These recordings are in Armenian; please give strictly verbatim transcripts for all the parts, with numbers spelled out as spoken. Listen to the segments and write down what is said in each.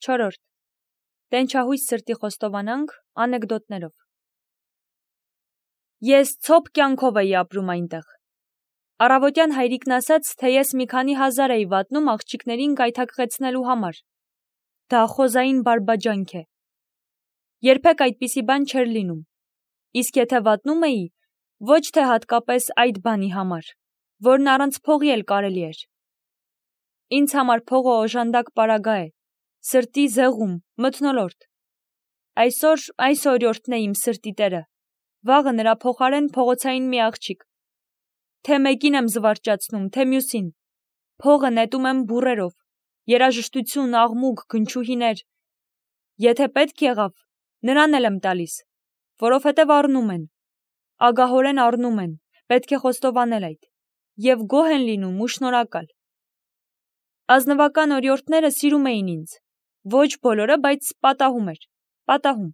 Չորրորդ. Տենչահույս սրտի խոստովանանք անեկդոտներով։ Ես ցոփ կյանքով էի ապրում այնտեղ։ Առավոտյան հայրիկն ասաց, թե ես մի քանի հազար էի վատնում աղջիկներին գայթակղեցնելու համար։ Դա խոզային բարբաջանք է։ Երբեք այդպիսի բան չէր լինում։ Իսկ եթե վատնում էի, ոչ թե հատկապես այդ բանի համար, որն առանց փողի էլ կարելի էր։ Ինձ համար փողը օժանդակ պարագա է, սրտի զեղում, մթնոլորտ։ Այսօր այս օրիորդն է իմ սրտի տերը, վաղը նրա փոխարեն փողոցային մի աղջիկ։ Թե մեկին եմ զվարճացնում, թե մյուսին։ Փողը նետում եմ բուրերով, երաժշտություն, աղմուկ, գնչուհիներ։ Եթե պետք եղավ, նրան էլ եմ տալիս, որովհետև առնում են, ագահորեն առնում են, պետք է խոստովանել այդ, և գոհ են լինում ու շնորհակալ։ Ազնվական օրիորդները սիրում էին ինձ, ոչ բոլորը, բայց պատահում էր, պատահում։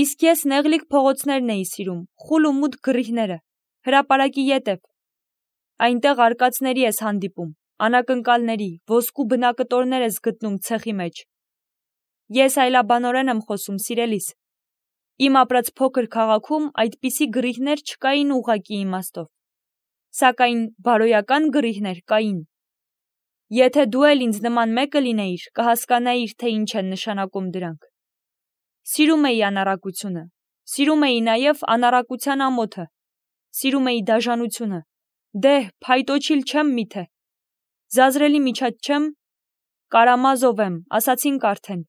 Իսկ ես նեղլիկ փողոցներն էի սիրում, խուլ ու մութ գրիհները, հրապարակի ետև։ Այնտեղ արկածների ես հանդիպում, անակնկալների, ոսկու բնակտորներ ես գտնում ցեխի մեջ։ Ես այլաբանորեն եմ խոսում, սիրելիս։ Իմ ապրած փոքր քաղաքում այդպիսի գրիհներ չկային ուղղակի իմաստով, սակայն բարոյական գրիհներ կային։ Եթե դու էլ ինձ նման մեկը լինեիր, կհասկանայիր, թե ինչ են նշանակում դրանք։ Սիրում էի անառակությունը, սիրում էի նաև անառակության ամոթը, սիրում էի դաժանությունը, դե, փայտոչիլ չեմ միթե։ Զազրելի միջած չեմ, Կարամազով եմ, ասացինք արդեն։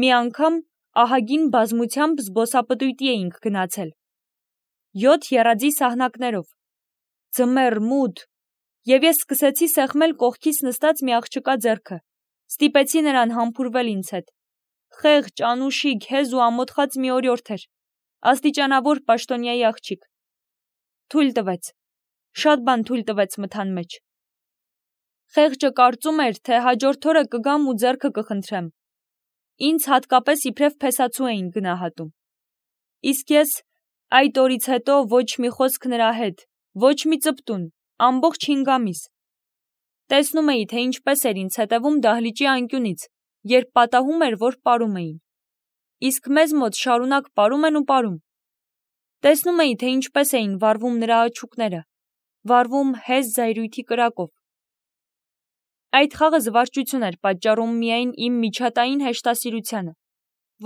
Մի անգամ ահագին բազմությամբ զբոսապտույտի էինք գնացել։ Յոթ եռաձի սահնակներով, ձմեռ, մութ, և ես սկսեցի սեղմել կողքիս նստած մի աղջկա ձեռքը, ստիպեցի նրան համբուրվել ինձ հետ։ Խեղճ, անուշիկ, հեզ ու ամոթխած մի օրիորդ էր, աստիճանավոր պաշտոնյայի աղջիկ։ Թույլ տվեց, շատ բան թույլ տվեց մթան մեջ։ Խեղճը կարծում էր, թե հաջորդ օրը կգամ ու ձեռքը կխնդրեմ։ Ինձ հատկապես իբրև փեսացու էին գնահատում։ Իսկ ես այդ օրից հետո ոչ մի խոսք նրա հետ, ոչ մի ծպտուն, ամբողջ հինգ ամիս։ Տեսնում էի, թե ինչպես էր ինձ հետևում դահլիճի անկյունից, երբ պատահում էր, որ պարում էին։ Իսկ մեզ մոտ շարունակ պարում են ու պարում։ Տեսնում էի, թե ինչպես էին վառվում նրա աչուկները, վառվում հեզ զայրույթի կրակով։ Այդ խաղը զվարճություն էր պատճառում միայն իմ միջատային հեշտասիրությանը,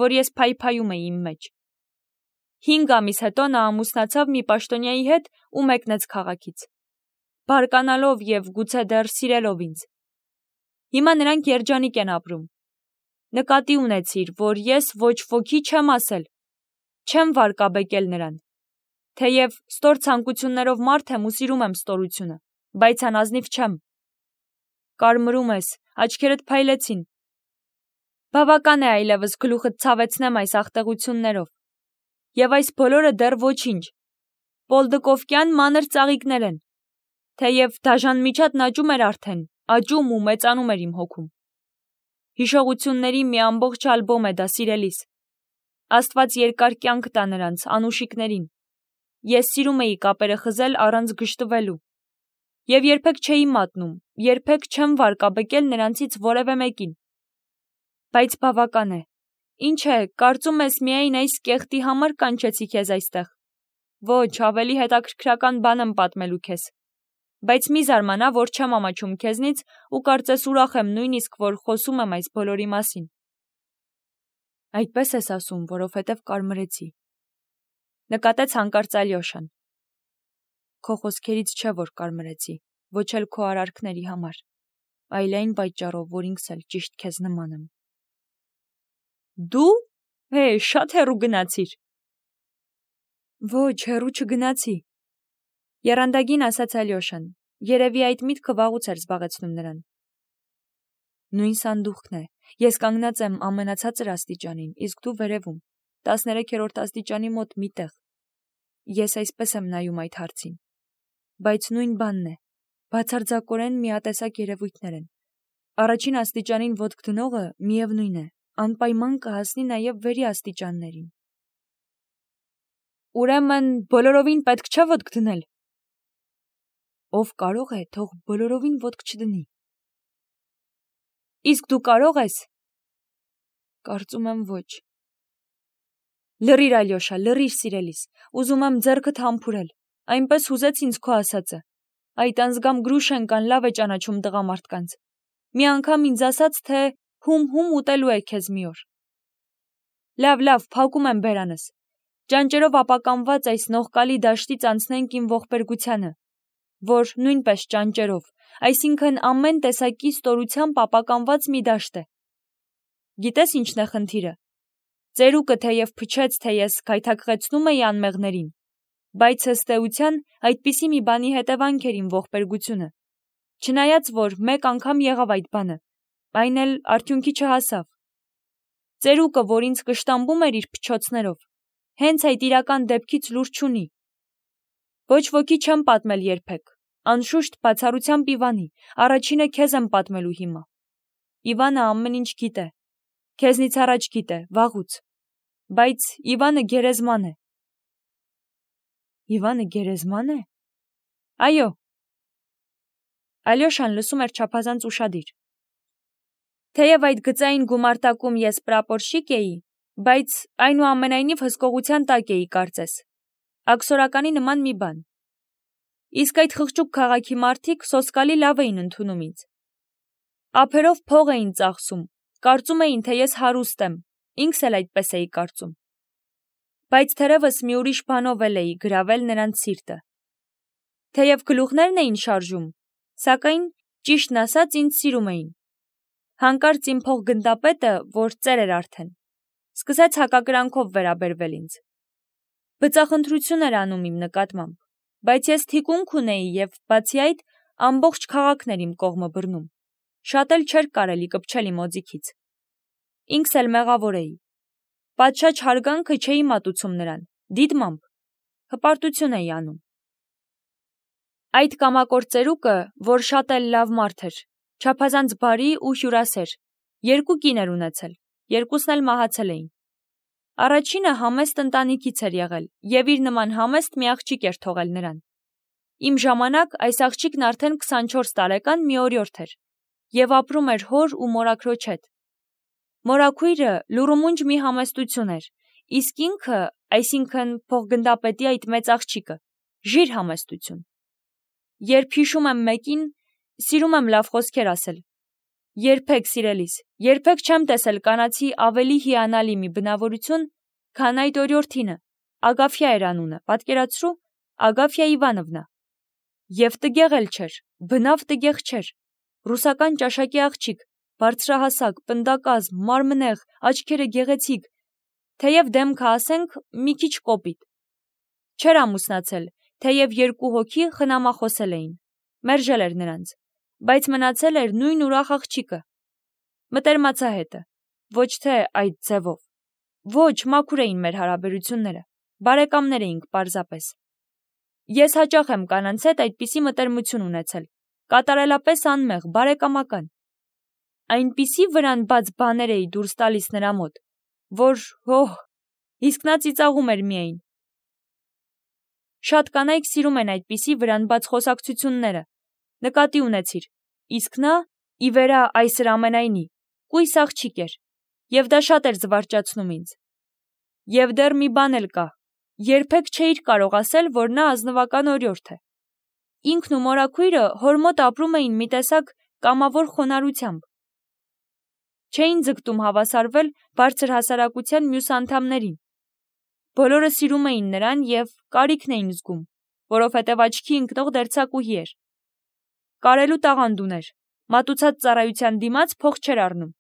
որ ես փայփայում էի իմ մեջ։ Հինգ ամիս հետո նա ամուսնացավ մի պաշտոնյայի հետ ու մեկնեց քաղաքից, բարկանալով և գուցե դեռ սիրելով ինձ։ Հիմա նրանք երջանիկ են ապրում։ Նկատի ունեցիր, որ ես ոչ ոքի չեմ ասել, չեմ վարկաբեկել նրան։ Թեև ստոր ցանկություններով մարդ եմ ու սիրում եմ ստորությունը, բայց անազնիվ չեմ։ Կարմրում ես, աչքերդ փայլեցին։ Բավական է այլևս գլուխդ ցավեցնեմ այս ախտեղություններով։ Եվ այս բոլորը դեռ ոչինչ։ Պոլդկովկյան մանր ծաղիկներ են։ Թեև դաժան միջատն աճում էր արդեն, աճում ու մեծանում էր իմ հոգում։ Հիշողությունների մի ամբողջ ալբոմ է դա, սիրելիս։ Աստված երկար կյանք տա նրանց, անուշիկներին։ Ես սիրում էի կապերը խզել առանց գժտվելու։ Եվ երբեք չէի մատնում, երբեք չեմ վարկաբեկել նրանցից որևէ մեկին։ Բայց բավական է։ Ինչ է, կարծում ես միայն այս կեղտի համար կանչեցի քեզ այստեղ։ Ոչ, ավելի հետաքրքրական բան եմ պատմելու քեզ։ Բայց մի զարմանա, որ չեմ ամաչում քեզնից ու կարծես ուրախ եմ նույնիսկ, որ խոսում եմ այս բոլորի մասին։ Այդպես ես ասում, որովհետև կարմրեցի։ Նկատեց հանկարծ Ալյոշան։ Քո խոսքերից չէ, որ կարմրեցի, ոչ էլ քո արարքների համար, այլ այն պատճառով, որ ինքս էլ ճիշտ քեզ նման եմ։ Դու, հե, շատ հեռու գնացիր։ Ոչ, հեռու չգնացի, եռանդագին ասաց Ալյոշան, երևի այդ միտքը վաղուց էր զբաղեցնում նրան։ Նույն սանդուղքն է, ես կանգնած եմ ամենացածր աստիճանին, իսկ դու վերևում, տասներեքերորդ աստիճանի մոտ մի տեղ։ Ես այսպես եմ նայում այդ հարցին։ Բայց նույն բանն է, բացարձակորեն միատեսակ երևույթներ են։ Առաջին աստիճանին ոտք դնողը միևնույն է, անպայման կհասնի նաև վերի աստիճաններին։ Ուրեմն բոլորովին պետք չէ ոտք դնել։ Ով կարող է, թող բոլորովին ոտք չդնի։ Իսկ դու կարող ես։ Կարծում եմ ոչ։ Լռիր, Ալյոշա, լռիր, սիրելիս, ուզում եմ ձեռքդ համբուրել, այնպես հուզեց ինձ քո ասածը։ Այդ անձգամ Գրուշենկան լավ է ճանաչում տղամարդկանց։ Մի անգամ ինձ ասաց, թե հում-հում ուտելու է քեզ մի օր։ Լավ, լավ, փակում եմ բերանս։ Ճանճերով ապականված այս նողկալի դաշտից անցնենք իմ ողբերգությանը, որ նույնպես ճանճերով, այսինքն ամեն տեսակի ստորությամբ ապականված մի դաշտ է։ Գիտես ինչն է խնդիրը։ Ծերուկը թեև փչեց, թե ես քայթակղեցնում էի անմեղներին, բայց ըստ էության այդպիսի մի բանի հետևանք էր իմ ողբերգությունը, չնայած որ մեկ անգամ եղավ այդ բանը, այն էլ արդյունքի չհասավ։ Ծերուկը, որ ինձ կշտամբում էր իր փչոցներով, հենց այդ իրական դեպքից լուր չունի։ Ոչ ոքի չեմ պատմել երբեք, անշուշտ բացառությամբ Իվանի, առաջինը քեզ եմ պատմելու հիմա։ Իվանը ամեն ինչ գիտե, քեզնից առաջ գիտե, վաղուց, բայց Իվանը գերեզման է։ Իվանը գերեզման է։ Այո։ Ալյոշան լսում էր չափազանց ուշադիր։ Թեև այդ գծային գումարտակում ես պրապորշիկ էի, բայց այնուամենայնիվ հսկողության տակ էի կարծես։ Աքսորականի նման մի բան։ Իսկ այդ խղճուկ քաղաքի մարդիկ սոսկալի լավ էին ընդունում ինձ։ Ափերով փող էին ծախսում, կարծում էին, թե ես հարուստ եմ, ինքս էլ այդպես էի կարծում։ Բայց թերևս մի ուրիշ բանով էլ էի գրավել նրանց սիրտը։ Թեև գլուխներն էին շարժում, սակայն ճիշտն ասած ինձ սիրում էին։ Հանկարծ իմ փոխգնդապետը, որ ծեր էր արդեն, սկսեց հակակրանքով վերաբերվել ինձ։ Բծախնդրություն էր անում իմ նկատմամբ, բայց ես թիկունք ունեի և բացի այդ ամբողջ քաղաքն էր իմ կողմը բռնում։ Շատ էլ չէր կարելի կպչել իմ օձիքից։ Ինքս էլ մեղավոր էի։ Պատշաճ հարգանքը չէի մատուցում նրան, դիտմամբ, հպարտություն էի անում։ Այդ կամակոր ծերուկը, որ շատ էլ լավ մարդ էր, չափազանց բարի ու հյուրասեր, երկու կին էր ունեցել, երկուսն էլ մահացել էին։ Առաջինը համեստ ընտանիքից էր եղել և իր նման համեստ մի աղջիկ էր թողել նրան։ Իմ ժամանակ այս աղջիկն արդեն քսանչորս տարեկան մի օրիորդ էր և ապրում էր հոր ու մորաքրոջ հետ։ Մորաքույրը լուրումունջ մի համեստություն էր, իսկ ինքը, այսինքն փոխգնդապետի այդ մեծ աղջիկը, ժիր համեստություն։ Երբ հիշում եմ մեկին, սիրում եմ լավ խոսքեր ասել։ Երբեք, սիրելիս, երբեք չեմ տեսել կանացի ավելի հիանալի մի բնավորություն, քան այդ օրիորդինը, Ագաֆյա էր անունը, պատկերացրու, Ագաֆյա Իվանովնա։ Եվ տգեղ էլ չէր, բնավ տգեղ չէր, ռուսական ճաշակի աղջիկ, բարձրահասակ, պնդակազմ, մարմնեղ, աչքերը գեղեցիկ, թեև դեմքը ասենք մի քիչ կոպիտ։ Չէր ամուսնացել, թեև երկու հոգի խնամախոսել էին, մերժել էր նրանց, բայց մնացել էր նույն ուրախ աղջիկը, մտերմացահետը, ոչ թե այդ ձևով։ Ոչ, մաքուր էին մեր հարաբերությունները, բարեկամներ էինք պարզապես։ Ես հաճախ եմ կանանց հետ այդպիսի մտերմություն ունեցել, կատարելապես անմեղ, բարեկամական։ Այնպիսի վրան բաց բաներ էի դուրս տալիս նրա մոտ, որ, հոհ, իսկ նա ծիծաղում էր միայն։ Շատ կանայք սիրում են այդպիսի վրան բաց խոսակցությունները, նկատի ունեցիր, իսկ նա, ի վերա այսր ամենայնի, կույս աղջիկ էր, և դա շատ էր զվարճացնում ինձ։ Եվ դեռ մի բան էլ կա, երբեք չէիր կարող ասել, որ նա ազնվական օրիորդ է։ Ինքն ու մորաքույրը հոր մոտ ապրում էին մի տեսակ կամավոր խոնարհությամբ։ Չէին ձգտում հավասարվել բարձր հասարակության մյուս անդամներին։ Բոլորը սիրում էին նրան և կարիքն էին զգում, որովհետև աչքի ընկնող դերձակուհի էր։ Կարելու տաղանդ ուներ, մատուցած ծառայության դիմաց փող չէր առնում։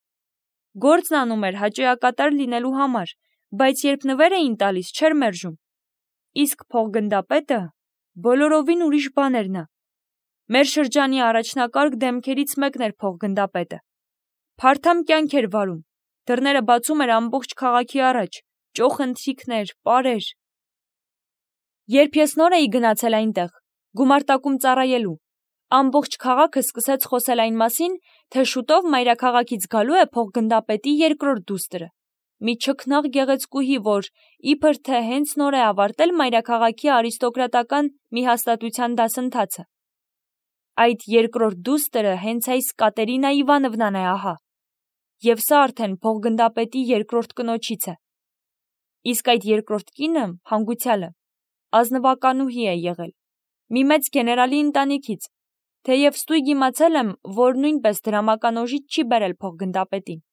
Գործն անում էր հաճոյակատար լինելու համար, բայց երբ նվեր էին տալիս, չէր մերժում։ Իսկ փոխգնդապետը բոլորովին ուրիշ բան էր նա։ Մեր շրջանի առաջնակարգ դեմքերից մեկն էր փոխգնդապետը։ Փարթամ կյանք էր վարում, դռները բացում էր ամբողջ քաղաքի առաջ, ճոխ ընթրիքներ, պարեր։ Երբ ես նոր էի գնացել այնտեղ, գումարտակում ծառայելու, ամբողջ քաղաքը սկսեց խոսել այն մասին, թե շուտով մայրաքաղաքից գալու է փոխգնդապետի երկրորդ դուստրը, մի չքնաղ գեղեցկուհի, որ իբր թե հենց նոր է ավարտել մայրաքաղաքի արիստոկրատական մի հաստատության դասընթացը։ Այդ երկրորդ դուստրը հենց այս Կատերինա Իվանովնան է ահա։ եւ սա արդեն փողգնդապետի երկրորդ կնոջից է։ Իսկ այդ երկրորդ կինը, հանգուցյալը, ազնվականուհի է եղել, մի մեծ գեներալի ընտանիքից, թեև ստույգ իմացել եմ, որ նույնպես դրամական օժիտ չի բերել փողգնդապետին։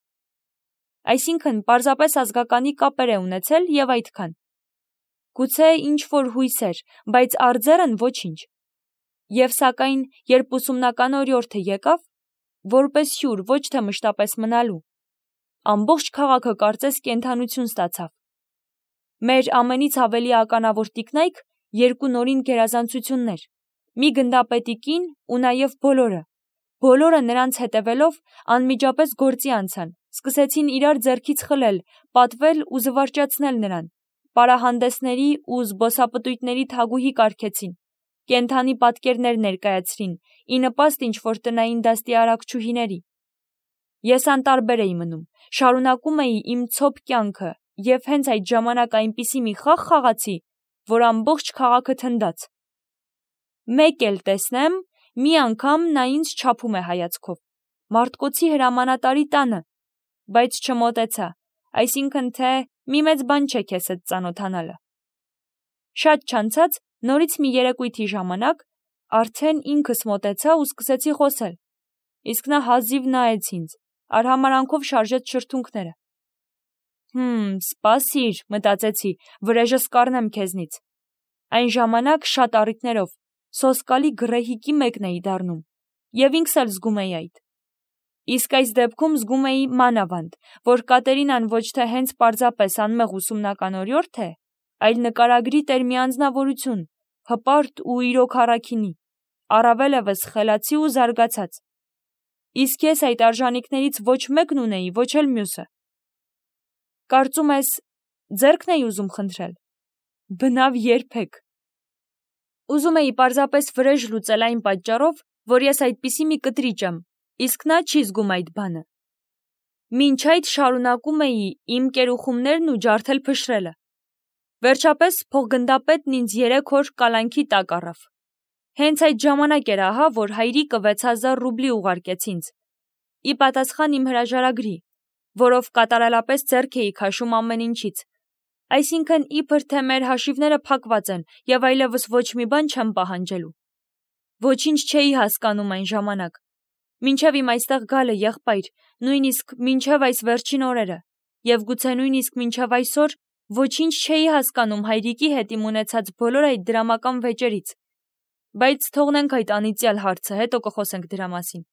Այսինքն, պարզապես ազգականի կապեր է ունեցել եւ այդքան։ Գուցե ինչ-որ հույսեր, բայց արձերն ոչինչ։ Եվ սակայն, երբ ուսումնական օրիորդը եկավ, որպես հյուր, ոչ թե մշտապես մնալու, ամբողջ քաղաքը կարծես կենդանություն ստացավ։ Մեր ամենից ավելի ականավոր տիկնայք երկու նորին գերազանցություններ, մի գնդապետի կին ու նաև բոլորը, բոլորը նրանց հետևելով անմիջապես գործի անցան, սկսեցին իրար ձեռքից խլել, պատվել ու զվարճացնել նրան, պարահանդեսների ու զբոսապտույտների թագուհի կարգեցին, կենդանի պատկերներ ներկայացրին, ի նպաստ ինչ-որ տնային դաստի արակչուհիների։ Ես անտարբեր էի մնում, շարունակում էի իմ ցոփ կյանքը եւ հենց այդ ժամանակ այնպիսի մի խաղ խաղացի, որ ամբողջ քաղաքը թնդաց։ Մեկ էլ տեսնեմ, մի անգամ նա ինձ չափում է հայացքով, Մարտկոցի հրամանատարի տանը, բայց չմոտեցա, այսինքն թե մի մեծ բան չէ քեզ հետ ծանոթանալը։ Շատ չանցած, նորից մի երեկույթի ժամանակ արդեն ինքս մոտեցա ու սկսեցի խոսել, իսկ նա հազիվ նայեց ինձ, արհամարանքով շարժեց շրթունքները։ Հմ, սպասիր, մտածեցի, վրեժս կառնեմ քեզնից։ Այն ժամանակ շատ առիթներով, սոսկալի գռեհիկի մեկն էի դառնում, եւ ինքս էլ զգում էի այդ։ Իսկ այս դեպքում զգում էի մանավանդ, որ Կատերինան ոչ թե հենց պարզապես անմեղ ուսումնական օրիորդ է, այլ նկարագրի տեր մի անձնավորություն, հպարտ ու իրոք առաքինի, առավել եւս խելացի ու զարգացած։ Իսկ ես այդ արժանինքներից ոչ մեկն ունեի, ոչ էլ մյուսը։ Կարծում ես, ձեռքն էի ուզում խնդրել։ Բնավ երբեք։ Ուզում էի պարզապես վրեժ լուծել այն պատճառով, որ ես այդպիսի մի կտրիճ եմ, իսկ նա չի զգում այդ բանը։ Մինչ այդ շարունակում էի իմ կերուխումներն ու ջարդել փշրելը։ Վերջապես փողգնդապետն ինձ երեք օր կալանքի տակ առավ։ Հենց այդ ժամանակ էր ահա, որ հայրիկը վեց հազար ռուբլի ուղարկեց ինձ, ի պատասխան իմ հրաժարագրի, որով կատարելապես ձեռք էի քաշում ամեն ինչից, այսինքն իբր թե մեր հաշիվները փակված են եւ այլևս ոչ մի բան չեմ պահանջելու։ Ոչինչ չէի հասկանում այն ժամանակ, մինչև իմ այստեղ գալը, եղբայր, նույնիսկ մինչև այս վերջին օրերը, եւ գուցե նույնիսկ մինչև այսօր ոչինչ չէի հասկանում հայրիկի հետ իմ ունեցած բոլոր այդ դրամական վեճերից, բայց թողնենք այդ անիծյալ հարցը, հետո կխոսենք դրա մասին։